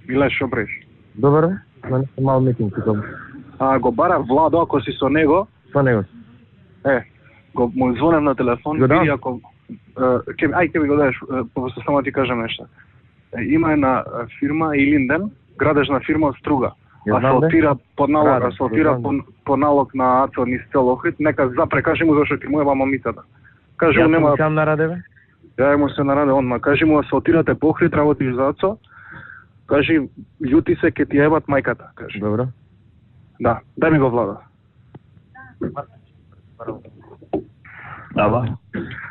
Миле, шо бреш? Добро, мене мал митинг тука. Го бара Владо, ако си со него. Со него. Му звонем на телефон, види ако... Ќе ми го дадеш, просто само ти кажам нешто. Има една фирма, Илинден, градежна фирма од Струга. Асфалтира под налог на АЦО низ цел Охрид, нека запре, кажи му зашто ти му ева мамицата. Кажи му нема... Ја сам нараде, бе? Ја му се нараде онма, кажи му асфалтирате по Охрид, работиш за АЦО, кажи, љути се, ке ти ебат мајката, кажи. Добро. Да, дај ми го Владо. Ала?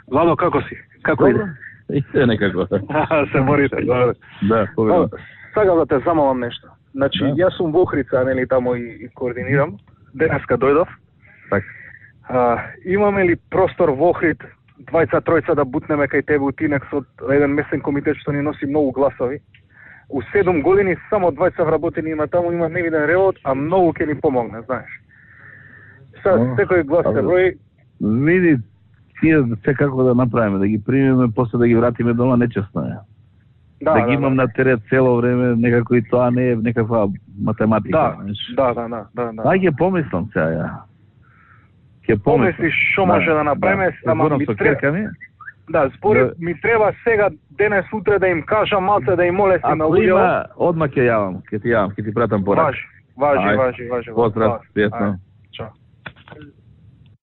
Владо, како си? Како иде? Иде некако. Се борите, добре. Да, победам. Сакам да те замолам нешто. Значи, јас сум во Охрица, нели, тамо и координирам. Денеска дојдов. Така. Имаме ли простор во Охрид, двајца-тројца да бутнеме кај тебе утинек со еден месен комитет што ни носи многу гласови? У 7 години само 20 вработени има таму, има невиден ревот, а многу ќе ни помогне, знаеш. Сега, секој глас се брои. Види, тие се како да направиме, да ги примеме, после да ги вратиме дома, нечесно е. Да ги имам на терет цело време, некако и тоа не е некаква математика. Да. Ќе помислам сега, ја. Ќе помислиш што може да направиме, ама ми треба... Да, според ми треба сега, денес, утре да им кажам малце, да им молестим на луѓето. Одма ќе јавам, ќе ти пратам порак. Важи. Поздрав, пријатно.